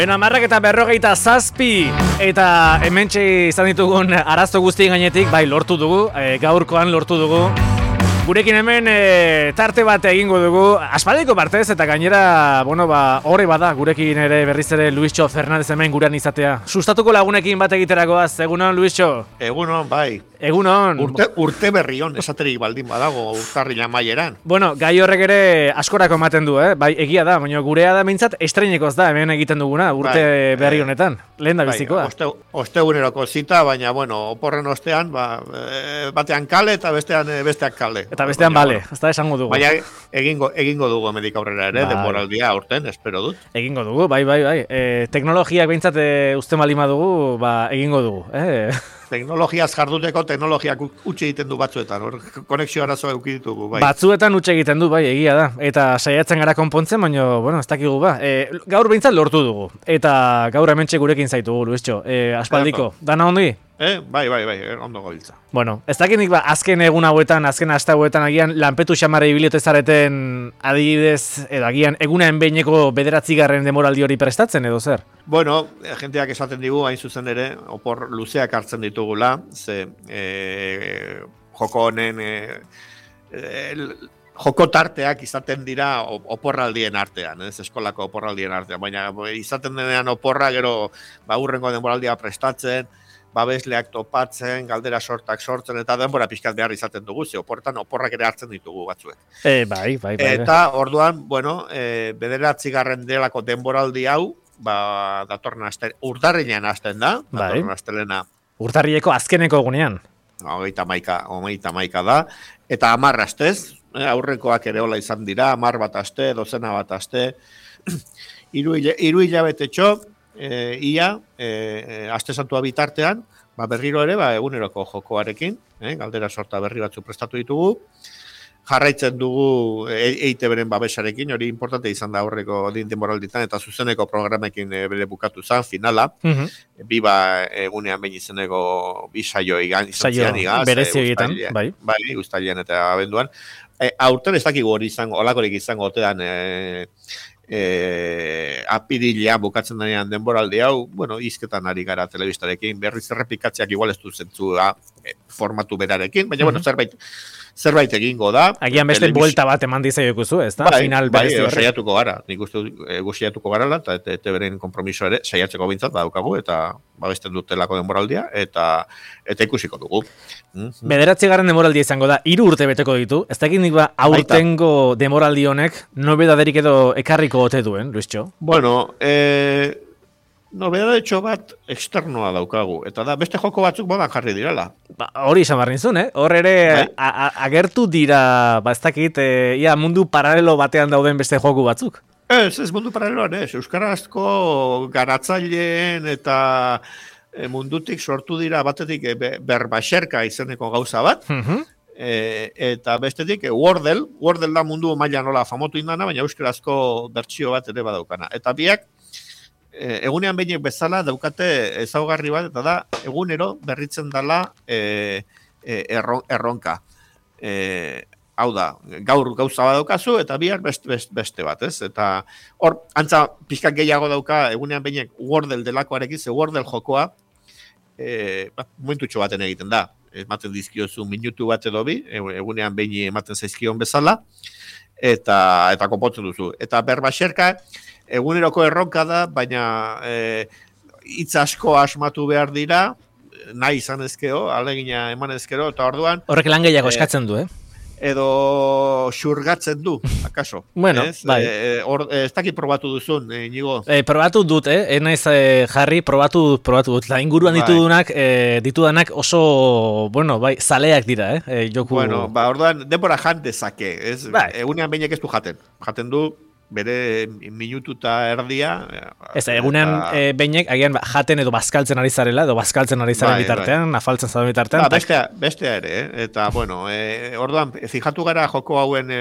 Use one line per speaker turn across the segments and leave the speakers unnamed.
Beno, 10:47 eta hementxe izan ditugun arazo guztien gainetik, bai, lortu dugu, gaurkoan lortu dugu. Gurekin hemen tarte bat egingo dugu, aspaldiko partez, eta gainera, bueno, horre bada, gurekin ere berriz ere Luisxo Fernandez hemen gurean izatea. Sustatuko lagunekin bat egiterakoaz, egunon, Luisxo?
Egunon, bai.
Egunon.
Urte berrion, esaterik baldin badago urtarrila maieran.
Bueno, gai horrek ere askorako ematen du, bai, egia da, baina gurea da behintzat estreinekoz da, hemen egiten duguna, urte berri honetan, lehen da bizikoa.
Osteguneroko zita, baina, bueno, oporren ostean, batean kale eta besteak kale.
Eta bestean bale, ez da esango dugu.
Baina egingo dugu hemendik aurrera ere, denboraldia aurten, espero dut.
Egingo dugu, bai. Teknologiak behintzat uste malima dugu, egingo dugu.
Teknologiaz jarduteko teknologiak utxe egiten du batzuetan, konexio arazoa eduki ditugu, bai.
Batzuetan utxe egiten du, bai, egia da. Eta saiatzen gara konpontzen, baina, bueno, ez dakigu gaur behintzat lortu dugu. Eta gaur hementxe gurekin zaitugu, Luisxo. Aspaldiko, dana ongi?
Bai, ondo gabiltza.
Bueno, ez dakinik azken egun hauetan, azken aste hauetan agian lanpetu xamara ibiliote zareten adibidez, edo agian egunean behineko 9. denboraldi hori prestatzen edo zer?
Bueno, jenteak esaten digu, hain zuzen ere, opor luzeak hartzen ditugula, ze joko honen joko tarteak izaten dira oporraldien artean, eskolako oporraldien artean, baina izaten denean oporra gero hurrengo denboraldia prestatzen, babesleak topatzen, galdera sortak sortzen, eta denbora pixkat behar izaten dugu, ze oporrak ere hartzen ditugu batzuek.
Bai.
Eta orduan, bueno, 9. delako denboraldi hau, datorren urtarrilean hasten da, datorren astelena.
Urtarrileko azkeneko egunean.
31 da, eta 10 astez, aurrekoak ere hola izan dira, 10 bat aste, 12 bat aste, 3 hilabetetxo, ia, aste santua bitartean, berriro ere, eguneroko jokoarekin, galdera sorta berri batzu prestatu ditugu, jarraitzen dugu EITB-ren babesarekin, hori importante izan da aurreko denboralditan, eta zuzeneko programekin bere bukatu zen, finala, egunean behin izeneko bi saio izan zian,
berezi egiten, bai.
Bai, uztailean eta abenduan. Aurten ez dakigu hori izango, olakorik izango otean, apirilean bukatzen denean denboraldi hau, bueno, izketan ari gara telebistarekin, berriz errepikatzeak igual ez du zentzua formatu berarekin, baina, bueno, zerbait egingo da.
Agian beste buelta bat eman dizaiokuzu, ez da?
Bai, saiatuko gara, nik uste saiatuko gara eta ETB-ren konpromiso ere saiatzeko bintzat badaukagu, eta babesten dutelako denboraldia, eta ikusiko dugu.
9. denboraldia izango da, 3 urte beteko ditu, ez da egin aurtengo denboraldi honek, nobedaderik edo ekarriko ote duen, Luisxo?
Bueno, nobedadetxo bat externoa daukagu, eta da beste joko batzuk modan jarri direla.
Hori izan barrin zuen, hor ere agertu dira, ez dakit, mundu paralelo batean dauden beste joku batzuk.
Ez mundu paraleloan, euskarazko garatzaileen eta mundutik sortu dira batetik berbaxerka izeneko gauza bat, eta bestetik Wordle da mundu maila nola famotu indana, baina euskarazko bertsio bat ere badaukana. Eta biak, egunean behinek bezala daukate ezaugarri bat, eta da egunero berritzen dela erronka. Hau da, gaur gauza bat daukazu, eta bihar beste bat, ez? Eta hor, antza pixkak gehiago dauka egunean behinek Wordle delakoarekin, ze Wordle jokoa momentutxo baten egiten da. Ematen dizkiozu minutu bat edo bi, egunean behin ematen zaizkion bezala, eta konpontzen duzu. Eta berbaxerka, eguneroko erronka da, baina hitz asko asmatu behar dira, nahi izan ezkero, alegina eman ezkero, eta orduan...
Horrek lan gehiago eskatzen du,
edo xurgatzen du, akaso.
Bueno, bai.
Ez dakit probatu duzun, Inigo?
Probatu dut, enaiz jarri, probatu dut. La inguruan ditudanak oso, bueno, bai, zaleak dira, joku...
Bueno, orduan, denbora jan dezake, ez?
Bai.
Egunean behinek ez du jaten. Jaten du, bere minutu eta erdia...
Ez, egunean behinek, agian jaten edo bazkaltzen ari zarela, edo bazkaltzen ari zaren bitartean, afaltzen zaren bitartean.
Bestea ere, eta, bueno, orduan, fijatu gara joko hauen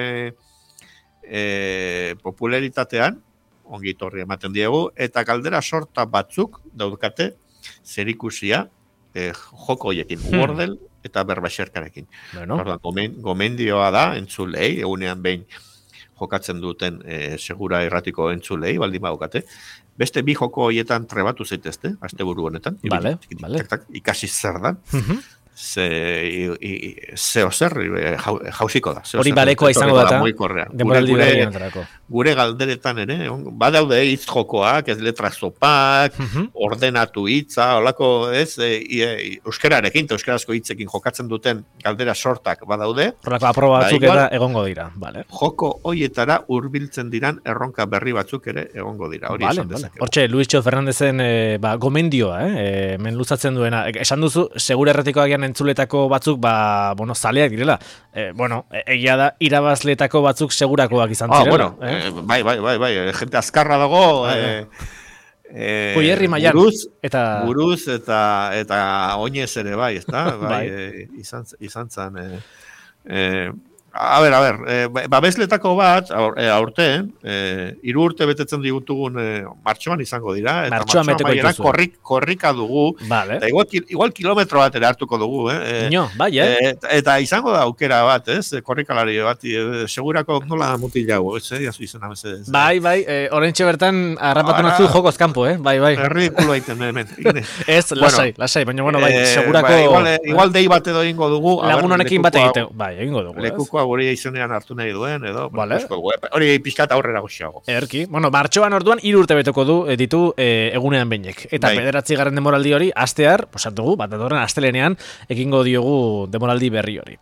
popularitatean, ongi torri ematen diegu, eta galdera sorta batzuk daukate zerikusia joko hoiekin, Wordle eta berbaxerkarekin. Orduan, gomendioa da, entzulei, egunean behin jokatzen duten segura erratiko entzulei, baldin badukate. Beste bi joko horietan trebatu zaitezte, asteburu honetan.
Vale.
Ikasi zer da. Zeo zer jausiko da.
Hori barekoa izango da. Demoraldi berrien entrako.
Gure galderetan ere, badaude hitz jokoak, ez letra zopak, ordenatu hitza, holako, ez, euskararekin, euskarazko hitzekin jokatzen duten galdera sortak badaude.
Horrelako aproba batzuk eta egongo dira, vale.
Joko hoietara hurbiltzen diran erronka berri batzuk ere egongo dira. Hori
vale, vale. Hortxe, Luisio Fernandezen gomendioa, men luzatzen duena. Esan duzu, segura erratikoak entzuletako batzuk, bueno, zaleak direla. Egia da, irabazletako batzuk segurakoak izan zirela.
Bai, gente azkarra dago,
Puierri mailan.
Buruz eta oinez ere bai, ezta? Bai, izan zan. A ver, babesletako bat, aurten, 3 urte betetzen digutugun martxoan izango dira.
Martxoan beteko dituzu.
Korrika dugu.
Vale.
Igual kilometro bat ere hartuko dugu.
Bai,
Eta izango da aukera bat, korrikalari bat, segurako nola mutilago, izena bezedez.
Bai, orentxe bertan harrapatu nazu jokoz kanpo, bai.
Ridikulo aiten, hemen.
Ez, lasai, baina, bai, segurako...
Igual dei bat edo ingo dugu.
Lagun honekin bat egiten, bai, egingo dugu,
lekuko hori izenean hartu nahi duen, edo, vale. Hori pixkat aurrera goxiago.
Erki, martxoan orduan 3 urte beteko ditu egunean beinek. Eta 9. demoraldi hori, astear, posatugu, bat datorren astelenean, ekingo diogu demoraldi berri hori.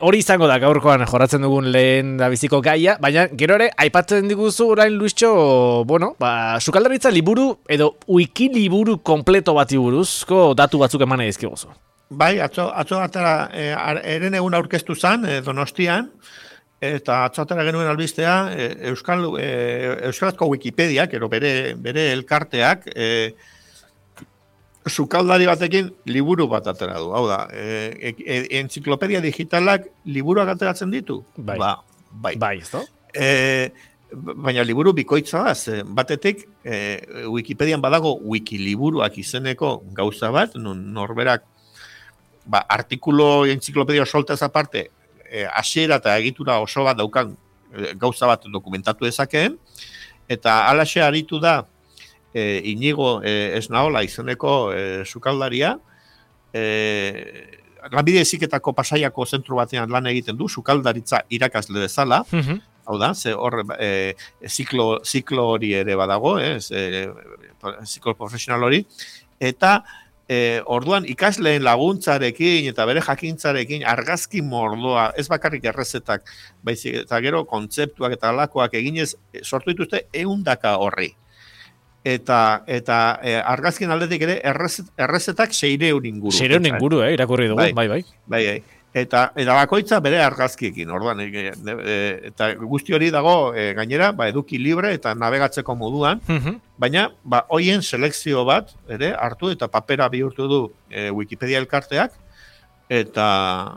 Hori izango da gaurkoan jorratzen dugun lehen da biziko gaia, baina gero ere, aipatzen diguzu orain Luischo, sukaldaritza liburu edo wiki liburu kompleto bati buruzko datu batzuk eman edizkiguzu.
Bai, atzo atara, eren egun aurkeztu zan, Donostian, eta atzo atara genuen albistea, Euskarazko Wikipediak, bere elkarteak, sukaldari batekin liburu bat atera du. Hau da, entziklopedia digitalak liburuak ateratzen ditu?
Bai. Bai, ez da?
Baina liburu bikoitza da, batetik Wikipedian badago wikiliburuak izeneko gauza bat, norberak artikulo entziklopedia soltez aparte, hasiera eta egitura oso bat daukan gauza bat dokumentatu dezakeen, eta alaxe aritu da Inigo Esnaola izeneko sukaldaria, lanbide heziketako Pasaiako zentru batean lan egiten du, sukaldaritza irakasle bezala, hau da, ziklo hori ere badago, ziklo profesional hori, eta orduan ikasleen laguntzarekin eta bere jakintzarekin argazki mordoa, ez bakarrik errezetak, baizik eta gero kontzeptuak eta alakoak eginez sortu dituzte 100 horri. Eta argazkien aldetik ere errezetak 600 inguru.
600 inguru, irakurri dugu, bai.
Eta bakoitza bere argazkiekin, orduan, eta guzti hori dago gainera, eduki libre eta navegatzeko moduan, baina hoien selekzio bat ere hartu eta papera bihurtu du Wikipedia elkarteak, eta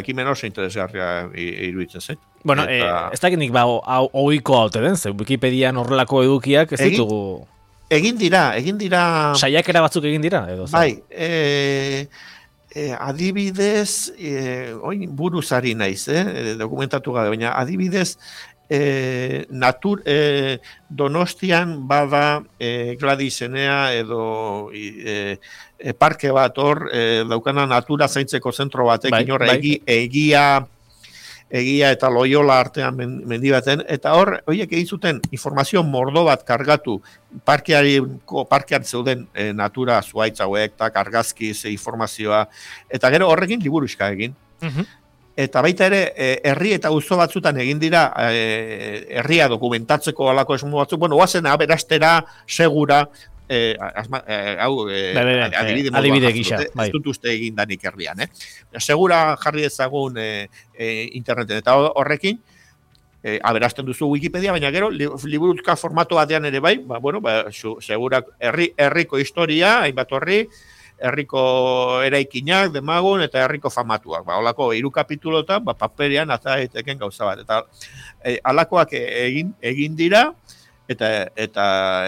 ekimen oso interesgarria iruditzen zait.
Ez dakit nik ohiko haute den, ze Wikipedian horrelako edukiak ez ditugu...
Egin dira...
Saiakera batzuk egin dira, edo?
Bai, adibidez, buruzari naiz, dokumentatu gabe, baina adibidez, Donostian bada Gladisenea edo parke bat hor, daukana natura zaintzeko zentro batekin hor egia eta Loyola artean mendibaten, eta hor, horiek egin zuten informazio mordo bat kargatu parkean zeuden natura zuaitz hauek, argazki, informazioa, eta gero horrekin liburuxka egin. Eta baita ere, herri eta auzo batzutan egin dira, herria dokumentatzeko alako esmu batzuk, oazen aberastera, segura,
adibide gisa,
ez dut uste egin danik herrian, segura jarri ezagun interneten, eta horrekin aberasten duzu Wikipedia, baina gero liburuzka formato batean ere bai, segura herriko historia, hainbat horri, herriko eraikinak, demagun, eta herriko famatuak. Holako 3 kapitulotan, paperean azaiteken gauza bat. Eta halakoak egin dira, eta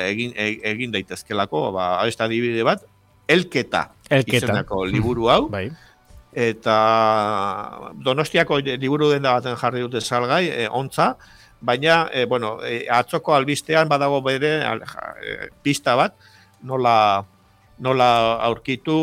egin daitezkelako, ez da adibide bat, elketa izenako liburu hau, eta Donostiako liburu denda baten jarri dute salgai, ontza, baina, atzoko albistean badago bere pista bat, nola aurkitu,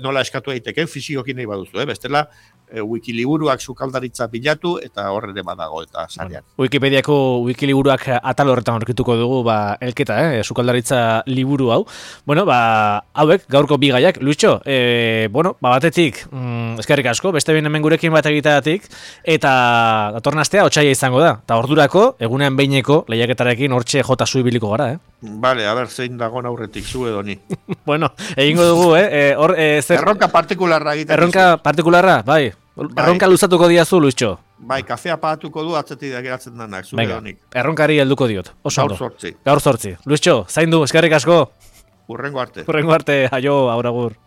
nola eskatu daiteke fizikoki nahi baduzu, bestela wikiliburuak sukaldaritza bilatu eta horre badago eta sarean.
Wikipediako wikiliburuak atal horretan aurkituko dugu, elketa, sukaldaritza liburu hau. Hauek gaurko bi gaiak, Luitxo, batetik, eskerrik asko, beste behin hemen gurekin bat egiteatik, eta datorren astea otsaila izango da. Eta ordurako, egunean behineko lehiaketarekin hortxe jota ibiliko gara,
Vale, a ber, zein dagoen aurretik, zu edo ni.
Egingo dugu,
Erronka partikularra egiten.
Erronka partikularra, bai. Erronka luzatuko diazu, Luitxo.
Bai, kafea pagatuko du atzetik da geratzen denak, zu edo nik.
Erronkari helduko diot.
Gaur 8.
Gaur 8. Luitxo, zaindu, eskerrik asko.
Hurrengo arte.
Hurrengo arte, aio, aur agur.